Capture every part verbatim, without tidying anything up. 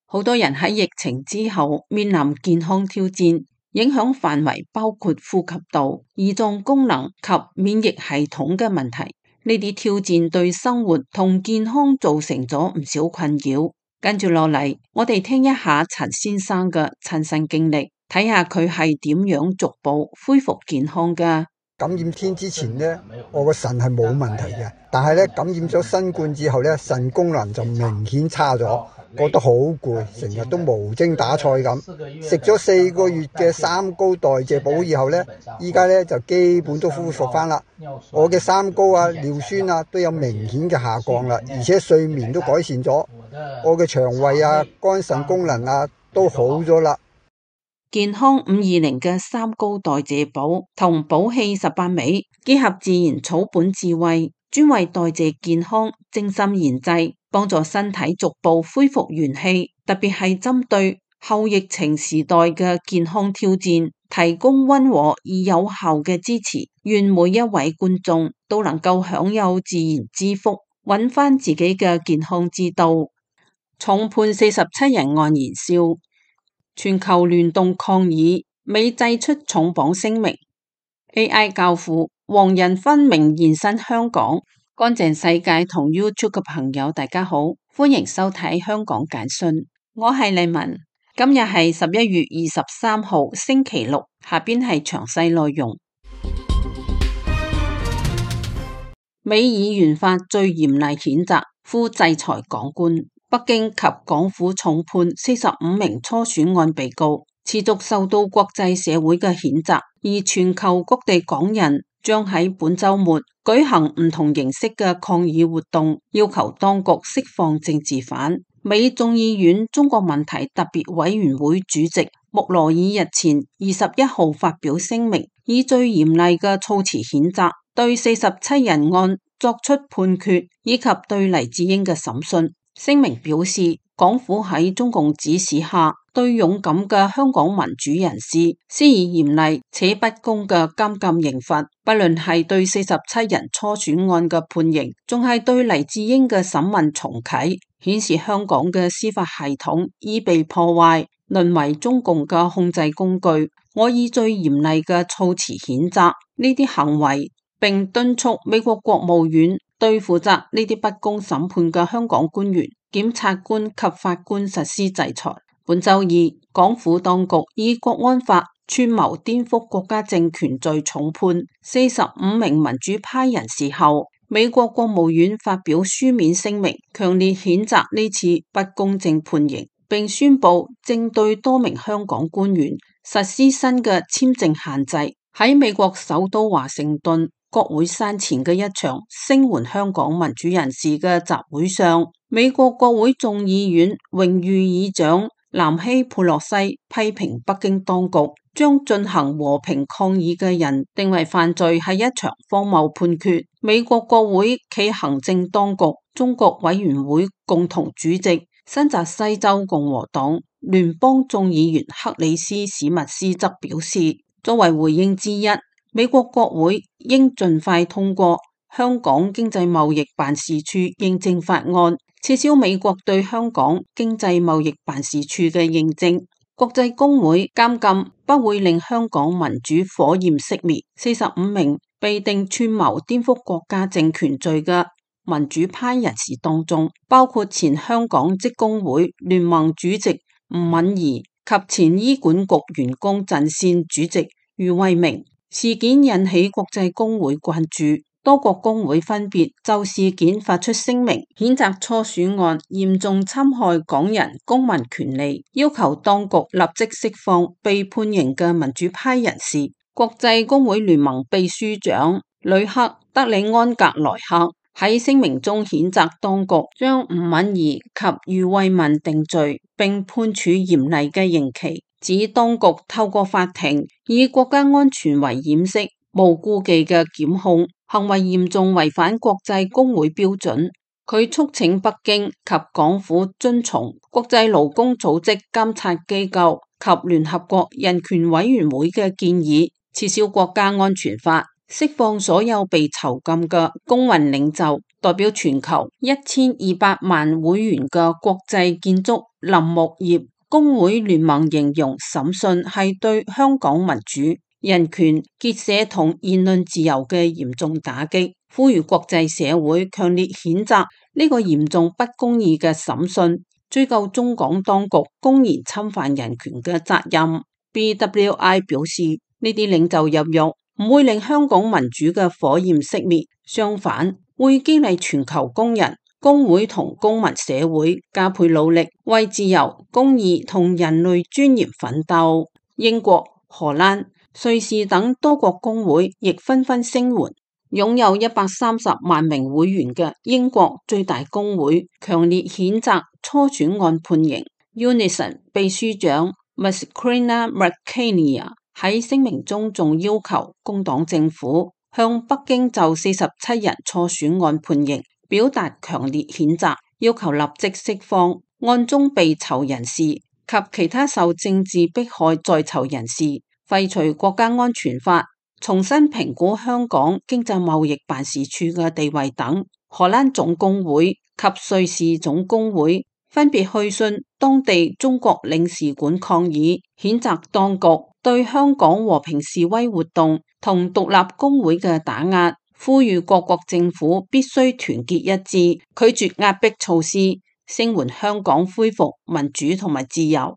好多人喺疫情之後面臨健康挑戰，影響範圍包括呼吸道、胰臟功能及免疫系統嘅問題。呢啲挑戰對生活同健康造成咗唔少困擾。跟住落嚟，我哋聽一下陳先生嘅親身經歷，睇下佢係點樣逐步恢復健康㗎。感染天之前呢，我個腎係冇問題嘅，但係咧感染咗新冠之後咧，腎功能就明顯差咗。覺得好攰，成日都無精打采咁。食咗四個月嘅三高代謝補以後呢，依家呢就基本都恢復翻啦。我嘅三高啊、尿酸啊都有明顯嘅下降啦，而且睡眠都改善咗。我嘅腸胃啊、肝腎功能啊都好咗啦。健康五二零嘅三高代謝補同補氣十八味結合自然草本智慧，專為代謝健康精心研製，幫助身體逐步恢復元氣，特別係針對後疫情時代嘅健康挑戰，提供溫和而有效嘅支持。願每一位觀眾都能夠享有自然之福，揾翻自己嘅健康之道。重判四十七人案燃燒，全球聯動抗議，美祭出重磅聲明。A I 教父黃仁勳明現身香港。乾淨世界同 YouTube 嘅朋友大家好，歡迎收睇香港簡訊，我係麗文。今日係十一月二十三號星期六，下邊係詳細內容。美議員法最嚴厲譴責，呼制裁港官。北京及港府重判四十五名初選案被告，持續受到國際社會嘅譴責，而全球各地港人將喺本週末舉行唔同形式嘅抗議活動，要求當局釋放政治犯。美眾議院中國問題特別委員會主席穆羅爾日前二十一號發表聲明，以最嚴厲嘅措辭譴責，對四十七人案作出判決，以及對黎智英嘅審訊。聲明表示，港府喺中共指使下，對勇敢嘅香港民主人士施以嚴厲且不公嘅監禁刑罰，不論係對四十七人初選案嘅判刑，仲係對黎智英嘅審問重啟，顯示香港嘅司法系統已被破壞，淪為中共嘅控制工具。我以最嚴厲嘅措辭譴責呢啲行為，並敦促美國國務院對負責呢啲不公審判嘅香港官員、檢察官及法官實施制裁。本週二，港府當局以國安法串謀顛覆國家政權罪重判四十五名民主派人士後，美國國務院發表書面聲明，強烈譴責呢次不公正判刑，並宣布正對多名香港官員實施新嘅簽證限制。喺美國首都華盛頓國會山前嘅一場聲援香港民主人士嘅集會上，美國國會眾議院榮譽議長南希佩洛西批評北京當局將進行和平抗議嘅人定為犯罪係一場荒謬判決。美國國會暨行政當局中國委員會共同主席、新澤西州共和黨聯邦眾議員克里斯史密斯則表示，作為回應之一，美國國會應盡快通過香港經濟貿易辦事處認證法案，撤銷美國對香港經濟貿易辦事處嘅認證。國際公會監禁不會令香港民主火焰熄滅。四十五名被定串謀顛覆國家政權罪嘅民主派人士當中，包括前香港職工會聯盟主席吳敏儀及前醫管局員工陣線主席余慧明。事件引起國際公會關注，多國公會分別就事件發出聲明，譴責初選案嚴重侵害港人公民權利，要求當局立即釋放被判刑嘅民主派人士。國際公會聯盟秘書長呂克德里安格萊克喺聲明中譴責當局將吳敏儀及余慧文定罪，並判處嚴厲嘅刑期，指當局透過法庭以國家安全為掩飾，無顧忌嘅檢控行為嚴重違反國際公會標準。佢促請北京及港府遵從國際勞工組織監察機構及聯合國人權委員會嘅建議，撤銷國家安全法，釋放所有被囚禁嘅工運領袖。代表全球一千二百萬會員嘅國際建築林木業工會聯盟形容審訊係對香港民主、人權、結社同言論自由嘅嚴重打擊，呼籲國際社會強烈譴責呢個嚴重不公義嘅審訊，追究中港當局公然侵犯人權嘅責任。B W I 表示，呢啲領袖入獄唔會令香港民主嘅火焰熄滅，相反會激勵全球工人、工會同公民社會加倍努力，為自由、公義同人類尊嚴奮鬥。英國、荷蘭、瑞士等多國工會亦紛紛聲援。擁有一百三十萬名會員嘅英國最大工會強烈譴責初選案判刑。Unison 秘書長 Maskrina Markania 喺聲明中仲要求工黨政府向北京就四十七人初選案判刑表達強烈譴責，要求立即釋放案中被囚人士及其他受政治迫害在囚人士，廢除國家安全法，重新評估香港經濟貿易辦事處嘅地位等。荷蘭總工會及瑞士總工會分別去信當地中國領事館抗議，譴責當局對香港和平示威活動同獨立工會嘅打壓，呼籲各國政府必須團結一致，拒絕壓迫措施，聲援香港恢復民主同埋自由。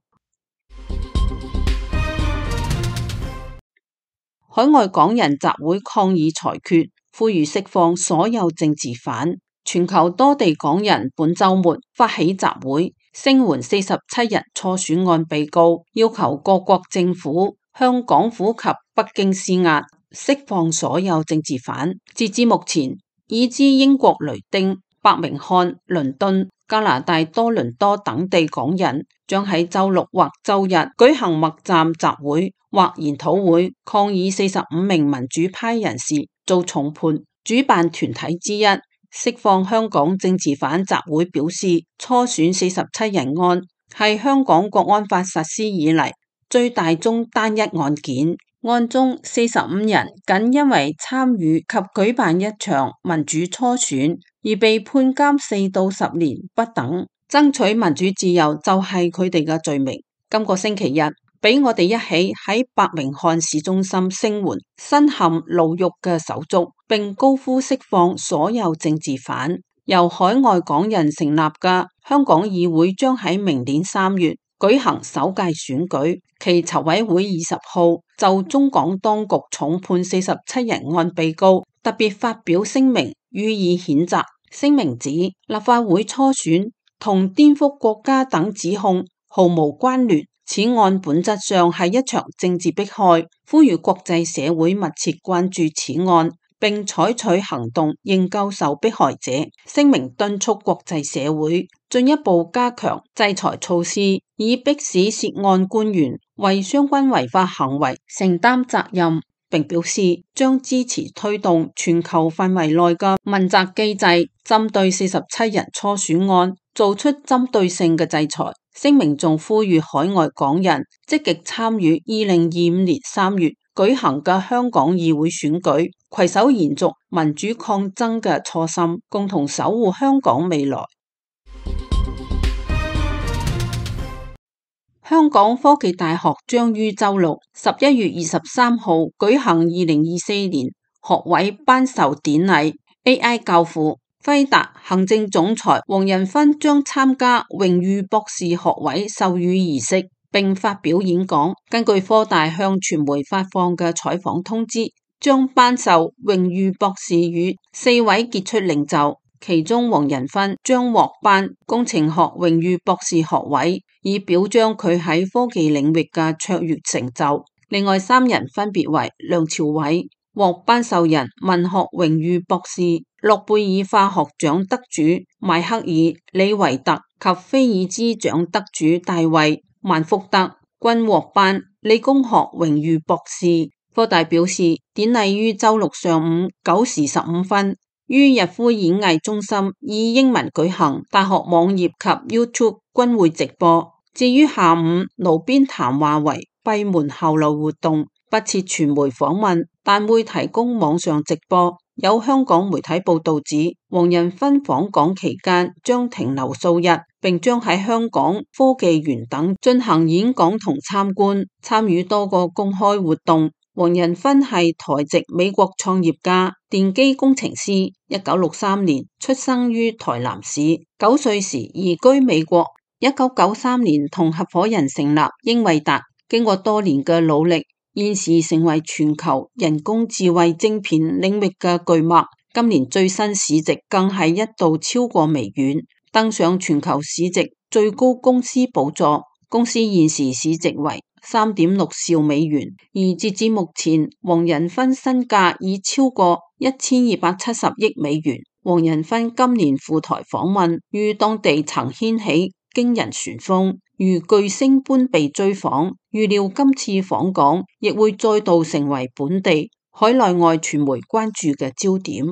海外港人集會抗議裁決，呼籲釋放所有政治犯。全球多地港人本週末發起集會，聲援四十七人初選案被告，要求各國政府向港府及北京施壓，釋放所有政治犯。截至目前，已知英國雷丁、伯明翰、倫敦、加拿大多倫多等地港人將喺週六或週日舉行默站集會或研討會，抗議四十五名民主派人士遭重判。主辦團體之一釋放香港政治犯集會表示，初選四十七人案係香港國安法實施以嚟最大宗單一案件，案中四十五人僅因為參與及舉辦一場民主初選而被判監四到十年不等。爭取民主自由就係佢哋嘅罪名。今個星期日，俾我哋一起喺伯明翰市中心聲援身陷牢獄嘅手足，並高呼釋放所有政治犯。由海外港人成立嘅香港議會將喺明年三月舉行首屆選舉，其籌委會二十號就中港當局重判四十七人案被告特別發表聲明予以譴責。聲明指立法會初選同顛覆國家等指控毫無關聯，此案本質上係一場政治迫害，呼籲國際社會密切關注此案，並採取行動應救受迫害者。聲明敦促國際社會進一步加強制裁措施，以迫使涉案官員為相關違法行為承擔責任，並表示將支持推動全球範圍內嘅問責機制，針對四十七人初選案做出針對性嘅制裁。聲明仲呼籲海外港人積極參與二零二五年三月舉行嘅香港議會選舉，攜手延續民主抗爭嘅初心，共同守護香港未來。香港科技大學將於週六十一月二十三號舉行二零二四年學位頒授典禮。A I 教父輝達行政總裁黃仁勳將參加榮譽博士學位授予儀式並發表演講。根據科大向傳媒發放嘅採訪通知，將頒授榮譽博士予四位傑出領袖，其中黃仁勳將獲頒工程學榮譽博士學位，以表彰佢喺科技領域嘅卓越成就。另外三人分別為梁朝偉獲頒授人文學榮譽博士、諾貝爾化學獎得主邁克爾李維特及菲爾茲獎得主大衛萬福德均獲頒理工學榮譽博士。科大表示，典禮於週六上午九時十五分於逸夫演藝中心以英文舉行，大學網頁及 YouTube 均會直播。至於下午爐邊談話為閉門後路活動，不設傳媒訪問，但會提供網上直播。有香港媒體報道指，黃仁勳訪港期間將停留數日，並將喺香港科技園等進行演講同參觀，參與多個公開活動。黃仁勳係台籍美國創業家、電機工程師，一九六三年出生於台南市，九歲時移居美國，一九九三年同合夥人成立英偉達，經過多年嘅努力，現時成為全球人工智慧晶片領域嘅巨擘，今年最新市值更係一度超過微軟，登上全球市值最高公司寶座。公司現時市值為三點六兆美元，而截至目前，黃仁勳身價已超過一千二百七十億美元。黃仁勳今年赴台訪問，於當地曾掀起驚人旋風，如巨星般被追訪。預料今次訪港亦會再度成為本地、海內外傳媒關注嘅焦點。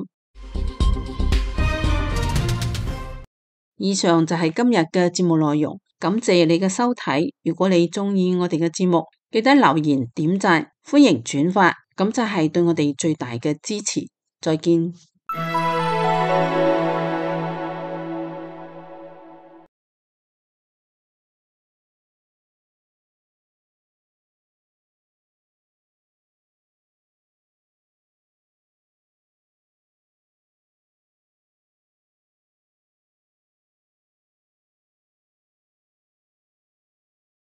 以上就係今日嘅節目內容，感謝你嘅收睇。如果你中意我哋嘅節目，記得留言點讚，歡迎轉發，咁就係對我哋最大嘅支持。再見。